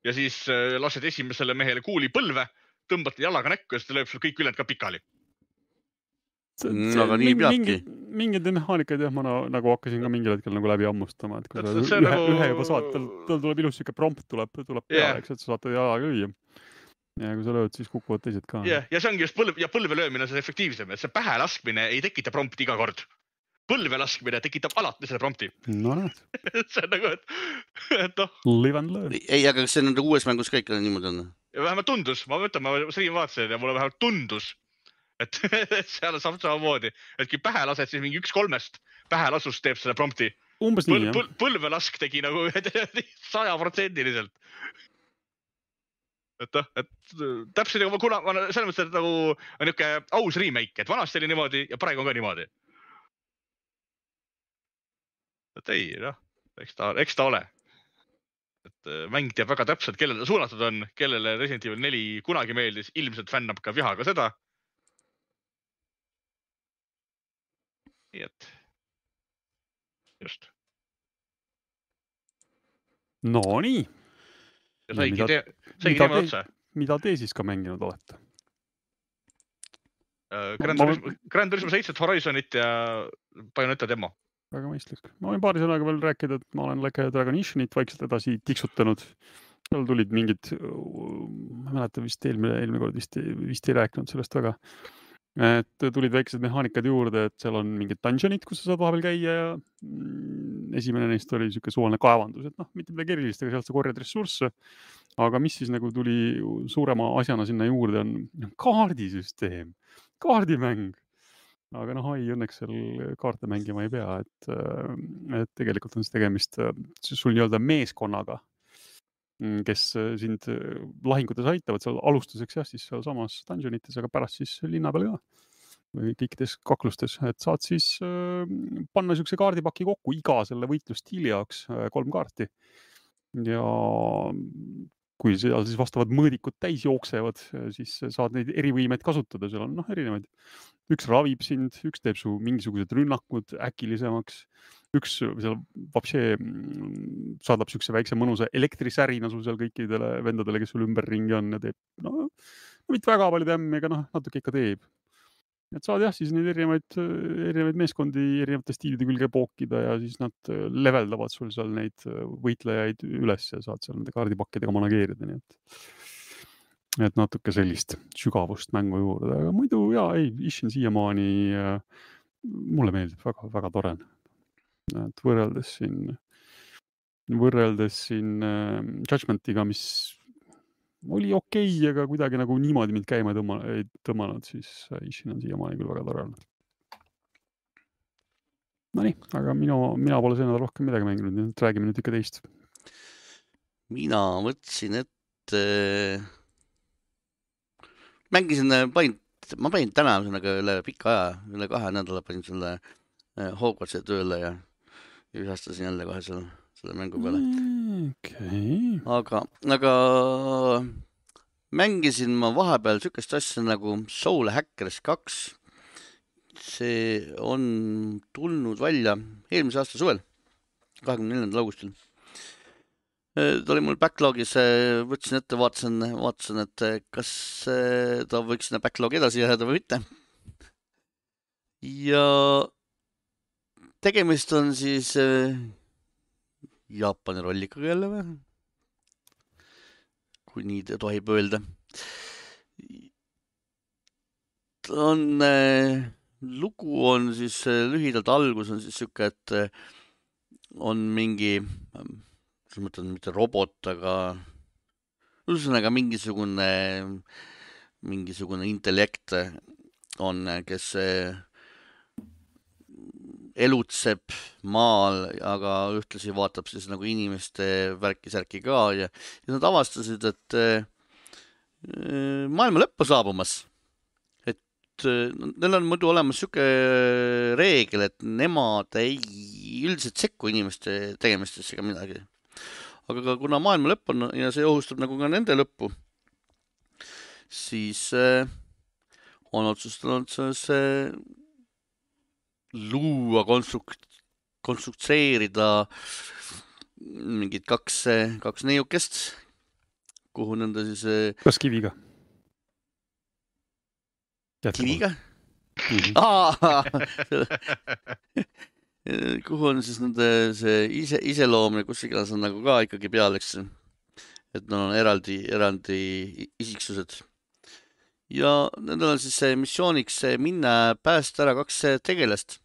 ja siis lased esimesele mehele kuuli põlve, tõmbad jalaga näkku ja siis ta lööb sul kõik ülend ka pikali. Aga nii peabki. Mingid mehaanikad jah, ma nagu hakkasin ka mingil hetkel nagu läbi ammustama, et kui sa ühe juba saad, tal tuleb ilus siuke prompt tuleb peale, eks, et sa saad jalaga lüüa. Ja kui sa lööd, siis kukuvad teised ka. Ja see ongi just põlve löömine on see efektiivsem, et see pähe laskmine ei tekita prompti iga kord. Põlve laskmine tekitab alati selle prompti. No näed. See on nagu, et Live and learn. Ei, aga kas see nende uues mängus kõik niimoodi on? Ja vähemalt tundus, ma stream vaatasin ja mulle vähemalt tundus, et seal saab samamoodi, et kui pähe lased, siis mingi 1/3 pähe lasust teeb selle prompti. Umbes nii, jah. Põlve lask tegi nagu 100%. et täpselt nagu kuna selles mõttes, et nagu on niuke aus remake, et vanasti oli niimoodi ja praegu on ka niimoodi. Et ei, eks ta ole. Et mäng teab väga täpselt, kellele suunatud on, kellele Resident Evil 4 kunagi meeldis, ilmselt fännab ka vihaga seda. Nii et just. No nii. Ja saigi teema otsa. Mida te siis ka mänginud olete? Gran Turismo 7 Horizonit ja Bayonetta demo. Väga mõistlik. Ma võin paari sõnaga veel rääkida, et ma olen Like a Dragon Ishinit vaikselt edasi tiksutanud. Seal tulid mingid, ma mäletan vist eelmine kord vist ei rääkinud sellest väga. Et tulid väiksed mehaanikad juurde, et seal on mingid dungeonid, kus sa saad vahepeal käia ja esimene neist oli siuke suvaline kaevandus, et mitte midagi erilist, aga sealt sa korjad ressursse. Aga mis siis nagu tuli suurema asjana sinna juurde on kaardisüsteem, kaardimäng. Aga ai, õnneks seal kaarte mängima ei pea, et tegelikult on see tegemist sul nii-öelda meeskonnaga, kes sind lahingutes aitavad seal alustuseks siis seal samas dungeonites, aga pärast siis linna peal ka või kõikides kaklustes, et saad siis panna siukse kaardipaki kokku iga selle võitlusstiili jaoks 3 kaarti ja kui seal siis vastavad mõõdikud täis jooksevad, siis saad neid erivõimeid kasutada, seal on erinevaid. Üks ravib sind, üks teeb su mingisugused rünnakud äkilisemaks, üks seal vapsee saadab siukse väikse mõnusa elektrisärina sul seal kõikidele vendadele, kes sul ümberringi on ja teeb mitte väga palju tämmi, aga natuke ikka teeb. Et saad siis neid erinevaid meeskondi erinevate stiilide külge pookida ja siis nad leveldavad sul seal neid võitlejaid üles ja saad seal nende kaardipakkidega manageerida. Nii et natuke sellist sügavust mängu juurde, aga muidu Ishin siiamaani mulle meeldib väga, väga tore. Et võrreldes siin Judgmentiga, mis oli okei, aga kuidagi nagu niimoodi mind käima ei tõmmanud, siis Ishin on siiamaani küll väga tore. No nii, aga mina pole see nädal rohkem midagi mänginud, nii et räägime nüüd ikka teist. Mina mõtlesin, et mängisin ma panin täna üle pika aja, üle 2 nädala panin selle Hogwartsi tööle ja ühastasin jälle kohe selle mängu peale. Okay. Aga mängisin ma vahepeal sükest asja nagu Soul Hackers 2. See on tulnud välja eelmise aasta suvel, 24. augustil. Ta oli mul backlogis, võtsin ette, vaatasin, et kas ta võiks sinna backlogi edasi jääda või mitte. Ja tegemist on siis Jaapani rollikaga jälle või? Kui nii tohib öelda. Lugu on siis lühidalt algus on siis siuke, et on mingi, mitte robot, aga ühesõnaga mingisugune intellekt on, kes elutseb maal, aga ühtlasi vaatab siis nagu inimeste värki-särki ka ja nad avastasid, et maailma lõpp on saabumas. Et neil on muidu olemas siuke reegel, et nemad ei üldiselt sekku inimeste tegemistesse ega midagi. Aga kuna maailma lõpp on ja see ohustab nagu ka nende lõppu, siis on otsustanud see luua, konstruktseerida mingid kaks neiukest, kuhu nende siis... Kas kiviga? Kiviga? Kuhu on siis nende see iseloomne, kus iganes on nagu ka ikkagi peal, eks. Et nad on eraldi isiksused. Ja nendel on siis missiooniks minna päästa ära 2 tegelast.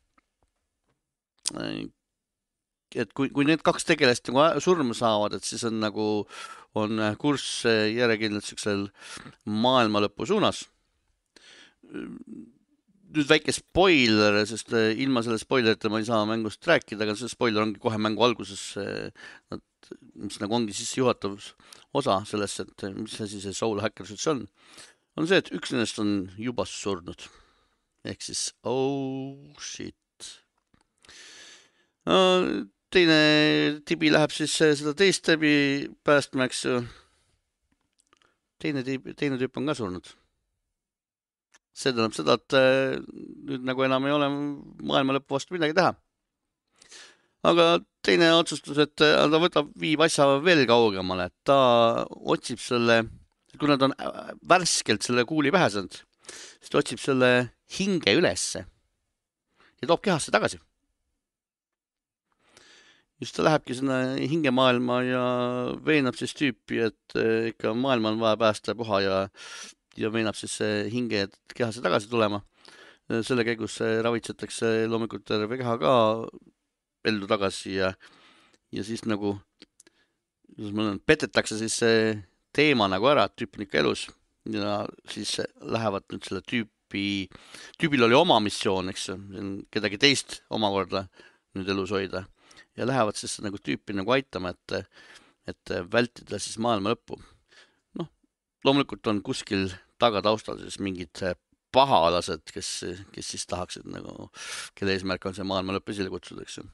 Et kui need 2 tegelast nagu surma saavad, et siis on nagu kurss järjekindlalt siuksel maailma lõpu suunas. Nüüd väike spoiler, sest ilma selle spoilerita ma ei saa mängust rääkida, aga see spoiler ongi kohe mängu alguses. Nad mis nagu ongi sissejuhatav osa sellest, et mis asi see Soul Hackers üldse on see, et üks nendest on juba surnud. Ehk siis, oh shit. Teine tibi läheb siis seda teist tibi päästma, eks ju. Teine tüüp on ka surnud. See tähendab seda, et nüüd nagu enam ei ole maailma lõpu vastu midagi teha. Aga teine otsustus, et ta viib asja veel kaugemale, et ta otsib selle, kui nad on värskelt selle kuuli pähe saanud, siis ta otsib selle hinge ülesse ja toob kehasse tagasi. Just ta lähebki sinna hingemaailma ja veenab siis tüüpi, et ikka maailma on vaja päästa puha ja veenab siis hinge kehasse tagasi tulema. Selle käigus ravitsetakse loomulikult terve keha ka ellu tagasi ja siis nagu petetakse siis see teema nagu ära, et tüüp on ikka elus ja siis lähevad nüüd selle tüübil oli oma missioon, eks kedagi teist omakorda nüüd elus hoida ja lähevad siis nagu tüüpi nagu aitama, et vältida siis maailma lõppu. Loomulikult on kuskil tagataustal siis mingid pahalased, kes siis tahaksid nagu, kelle eesmärk on see maailma lõpp esile kutsuda, eks ju.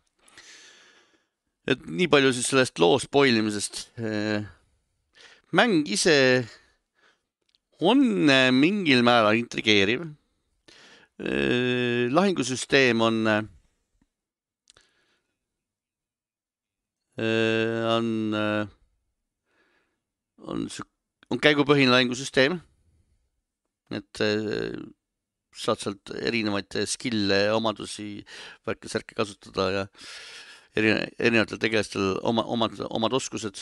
Et nii palju siis sellest loo spoilimisest. Mäng ise on mingil määral intrigeeriv. Lahingusüsteem on käigupõhine lahingusüsteem, et saad sealt erinevaid skille, omadusi, värke-särke kasutada ja erinevatel tegelastel omad oskused.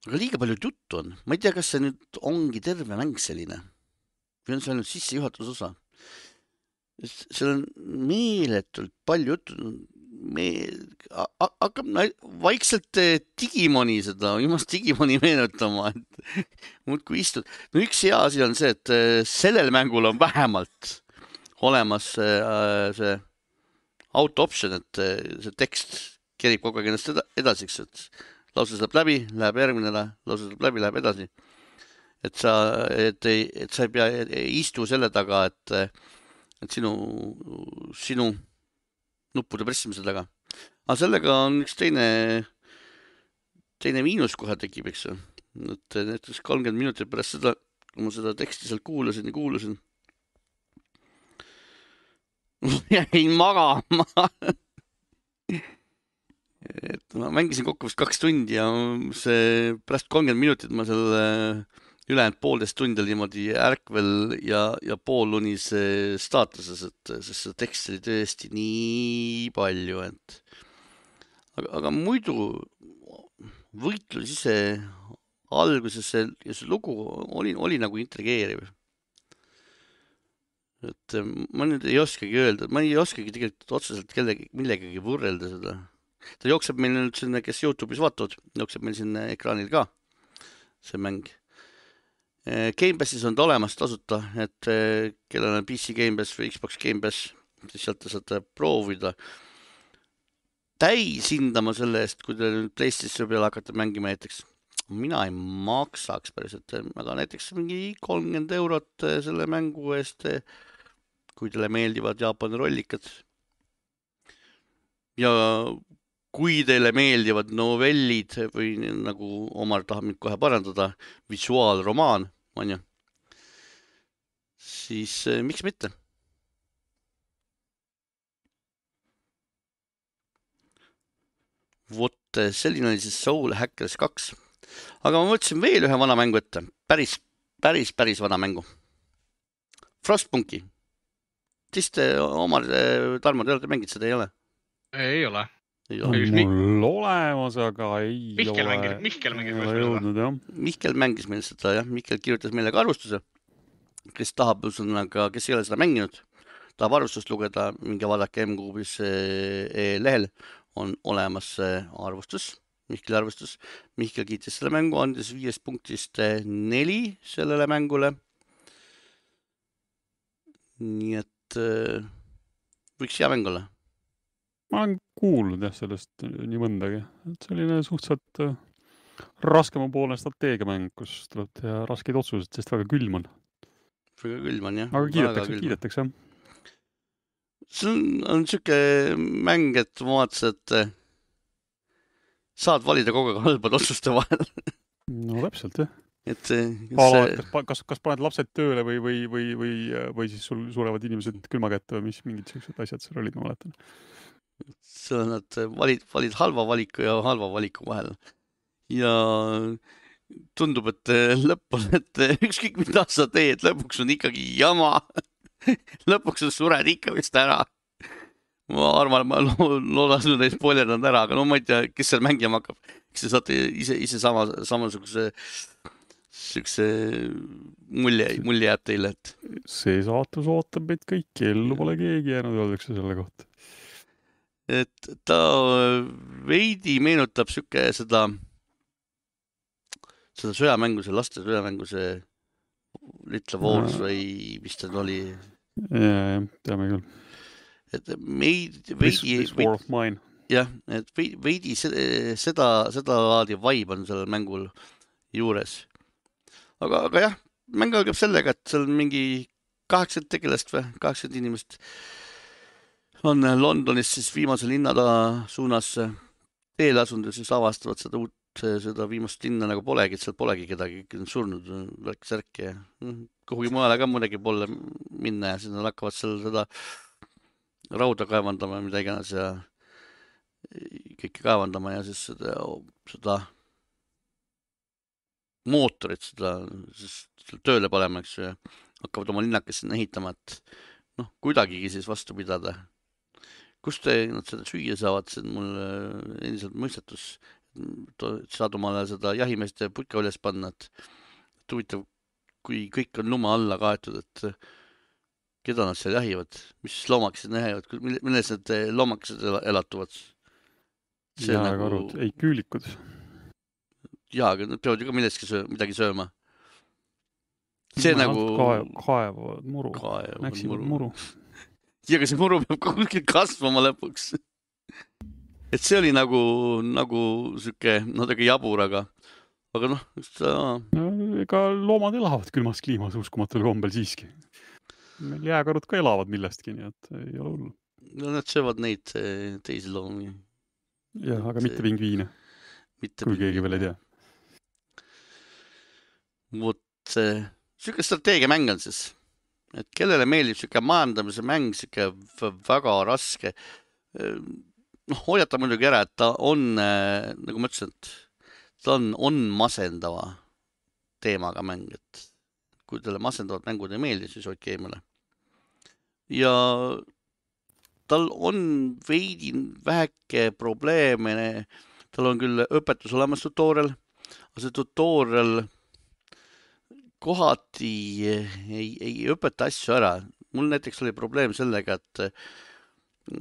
Aga liiga palju juttu on. Ma ei tea, kas see nüüd ongi terve mäng selline või on see ainult sissejuhatuse osa. Seal on meeletult palju juttu. Hakkab vaikselt Digimoni meenutama, et muudkui istud. Üks hea asi on see, et sellel mängul on vähemalt olemas see auto option, et see tekst kerib kogu aeg ennast edasiks, et lause saab läbi, läheb järgmine, lause saab läbi, läheb edasi. Et sa ei pea istu selle taga, et sinu nuppude pressimise taga. Aga sellega on üks teine miinus kohe tekib, eks ju. Et näiteks 30 minutit pärast seda, kui ma seda teksti seal kuulasin. Jäin magama. Et ma mängisin kokku vist 2 tundi ja see pärast 30 minutit ma seal ülejäänud 1,5 tundi niimoodi ärkvel ja poolunis staatuses, sest see tekst oli tõesti nii palju, aga muidu võitlus ise alguses ja see lugu oli nagu intrigeeriv. Et ma nüüd ei oskagi öelda, ma ei oskagi tegelikult otseselt millegagi võrrelda seda. Ta jookseb meil nüüd sinna, kes YouTube'is vaatavad, jookseb meil sinna ekraanil ka see mäng. Game Passis on ta olemas tasuta, et kellel on PC Game Pass või Xbox Game Pass, siis sealt te saate proovida. Täis hindama selle eest, kui te nüüd PlayStation peale hakkate mängima näiteks. Mina ei maksaks päriselt, aga näiteks mingi 30 eurot selle mängu eest, kui teile meeldivad Jaapani rollikad. Ja kui teile meeldivad novellid või nagu Omar tahab mind kohe parandada, visuaalromaan, on ju, siis miks mitte? Vot selline oli siis Soul Hackers 2. Aga ma mõtlesin veel ühe vana mängu ette. Päris vana mängu. Frostpunki. Siis Omar, Tarmo, te olete mängid seda, ei ole? Ei ole. Mul olemas, aga ei Mihkel ole. Mihkel mängis meil seda, jah. Mihkel kirjutas meile ka arvustuse, kes tahab, kes ei ole seda mänginud, tahab arvustust lugeda, minge vaadake M-Kuubis lehel on olemas arvustus, Mihkeli arvustus. Mihkel kiitis selle mängu, andis 5 punktist 4 sellele mängule. Nii et võiks hea mäng olla. Ma olen kuulnud jah sellest nii mõndagi. Et selline suhteliselt raskema poolne strateegiamäng, kus tuleb teha raskeid otsused, sest väga külm on. Väga külm on, jah. Aga kiidetakse, jah. See on siuke mäng, et ma vaatasin, et saad valida kogu aeg halbad otsuste vahel. No täpselt, jah. Et kas paned lapsed tööle või siis sul surevad inimesed külma kätte või mis mingid sellised asjad seal olid, ma mäletan. See on, et valid halva valiku ja halva valiku vahel. Ja tundub, et lõpus, et ükskõik mida sa teed, lõpuks on ikkagi jama. Lõpuks sured ikka vist ära. Ma arvan, ma loodan neid spoilerdanud ära, aga no ma ei tea, kes seal mängima hakkab. Eks te saate ise samasuguse mulje jääb teile, et see saatus ootab meid kõiki, ellu pole keegi jäänud, öeldakse selle kohta. Et ta veidi meenutab siuke seda sõjamängu, see laste sõjamängu, see Little Wars või mis ta oli? Jah, teame küll. Et veidi War of Mine. Jah, et veidi seda laadi vibe on sellel mängul juures. Aga jah, mäng algab sellega, et seal mingi 8 tegelast või 8 inimest on Londonis siis viimase linnada suunas teele asunud ja siis avastavad seda viimast linna nagu polegi, et seal polegi kedagi surnud, värk-särk ja kuhugi mujale ka mõnegi poole minna ja siis nad hakkavad seal seda rauda kaevandama, mida iganes ja kõike kaevandama ja siis seda mootorit seda tööle panema, eks ju, hakkavad oma linnakest sinna ehitama, et kuidagigi siis vastu pidada. Kust nad seda süüa saavad, see on mul endiselt mõistetus. Saad omale seda jahimeeste putka üles panna, et huvitav, kui kõik on lume alla kaetud, et keda nad seal jahivad, mis loomakesed jahivad, milles need loomakesed elatuvad? Jääkarud, ei küülikud. Jaa, aga nad peavad ju ka midagi sööma. See nagu kaevavad muru. Näksivad muru. Ja aga see muru peab kuskil kasvama lõpuks. Et see oli nagu süke natuke jabur, aga ega loomad elavad külmas kliimas uskumatul kombel siiski. Meil jääkarud ka elavad millestki, nii et ei ole hullu. No nad söövad neid teisi loomi. Jah, aga mitte pingviine. Kui keegi veel ei tea. Vot süke strateegiamäng on siis. Et kellele meeldib süke majandamise mäng, süke väga raske. Hoiata muidugi ära, et ta on, nagu ma ütlesin, et ta on masendava teemaga mäng, et kui teile masendavad mängud ei meeldi, siis hoidke eemale. Ja tal on veidi väheke probleeme, tal on küll õpetus olemas tutorial, aga see tutorial kohati ei õpeta asju ära. Mul näiteks oli probleem sellega, et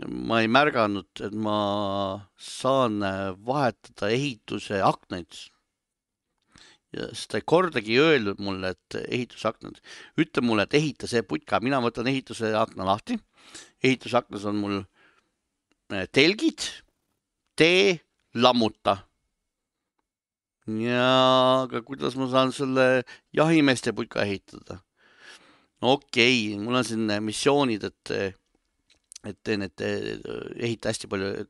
ma ei märganud, et ma saan vahetada ehituse aknaid. Ja seda ei kordagi öelnud mulle, et ehitusaknad. Ütle mulle, et ehita see putka. Mina võtan ehituse akna lahti. Ehitusaknas on mul telgid, tee, lammuta. Ja aga kuidas ma saan selle jahimeeste putka ehitada? Okei, mul on siin missioonid, et ehita hästi palju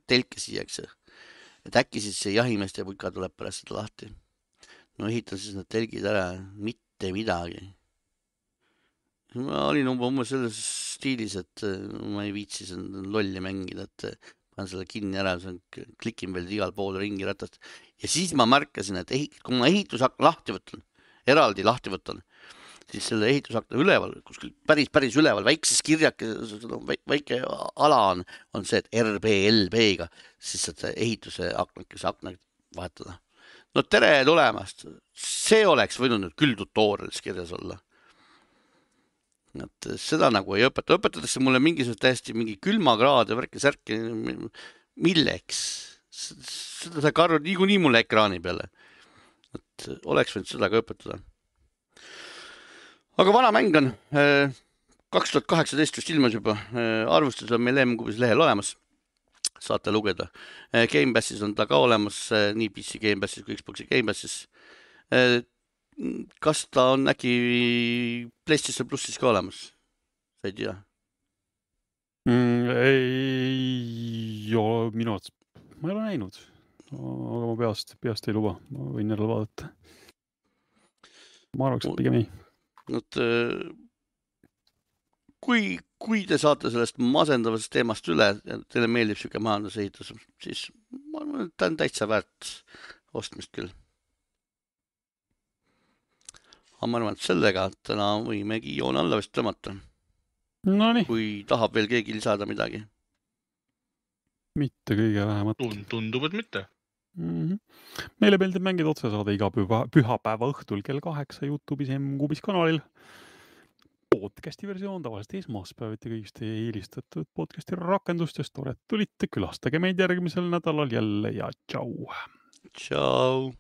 telke siia, et äkki siis see jahimeeste putka tuleb pärast seda lahti. No ehitan siis need telgid ära, mitte midagi. Ma olin umbes selles stiilis, et ma ei viitsi lolli mängida, et panen selle kinni ära, klikin veel igal pool ringi ratast. Ja siis ma märkasin, et kui ma ehitusakna lahti võtan, eraldi lahti võtan, siis selle ehitusakna üleval, kuskil päris üleval, väikses kirjake, väike ala on see, et RBLB-ga, siis seda ehituse akna vahetada. No tere tulemast! See oleks võinud nüüd küll tutorialis kirjas olla. Et seda nagu ei õpeta. Õpetatakse mulle mingisugust täiesti mingi külmakraad ja värki-särki. Milleks? Seda sa karud nii mulle ekraani peale. Et oleks võinud seda ka õpetada. Aga vana mäng on 2018 just ilmas juba. Arvustus on meil M-Kubis lehel olemas. saate lugeda. Gamepassis on ta ka olemas, nii PC Gamepassis kui Xbox'i Gamepassis. Kas ta on äkki PlayStation Plussis ka olemas? Sa ei tea? Ei ole minu arvates, ma ei ole näinud, aga ma peast ei luba, ma võin jälle vaadata. Ma arvaks, et pigem ei. Kui te saate sellest masendavast teemast üle, teile meeldib siuke majandusehitus, siis ma arvan, et ta on täitsa väärt ostmist küll. Aga ma arvan, et sellega täna võimegi joone alla vist tõmmata. Nonii. Kui tahab veel keegi lisada midagi. Mitte kõige vähemat. Tundub, et mitte. Meile meeldib mängida otsesaade iga pühapäeva õhtul kell 8 YouTube'is M-Kuubis kanalil. Podcasti versioon tavaliselt esmaspäeviti kõigist eelistatud podcasti rakendustest. Tore, et tulite, külastage meid järgmisel nädalal jälle ja tšau. Tšau.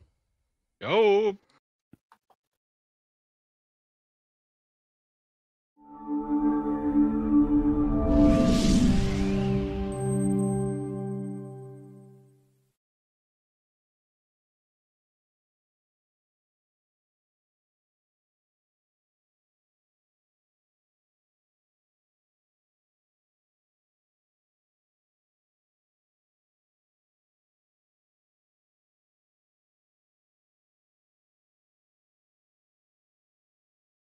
Tšau.